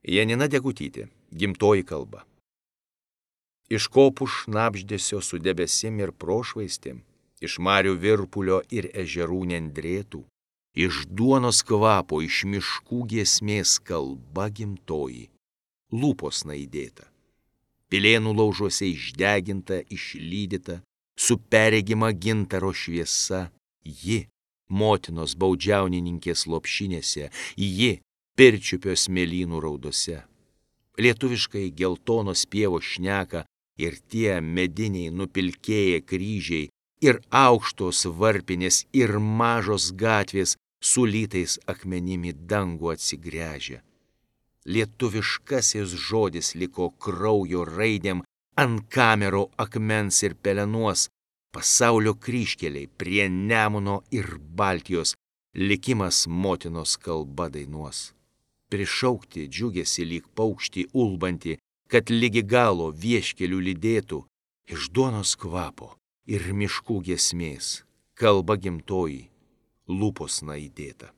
Janina Degutytė, gimtoji kalba. Iš kopų šnabždesio su debesim ir prošvaistėm, iš marių virpulio ir ežerų nendrėtų, iš duonos kvapo, iš miškų giesmės kalba gimtoji, lūpos naidėta. Pilėnų laužuose išdeginta, išlydyta, su perregima gintaro šviesa, ji motinos baudžiaunininkės lopšinėse, ji pirčiupio smėlynų raudose. Lietuviškai geltonos pievos šneka ir tie mediniai nupilkėję kryžiai, ir aukštos varpinės, ir mažos gatvės su lytais akmenimi dangų atsigręžia. Lietuviškasis žodis liko kraujo raidėm ant kamero akmens ir pelenuos, pasaulio kryžkeliai prie Nemuno ir Baltijos, likimas motinos kalba dainuos. Prišaukti džiugėsi lyg paukštį ulbantį, kad ligi galo vieškelių lydėtų, iš duonos kvapo ir miškų giesmės, kalba gimtoji, lūpos naidėta.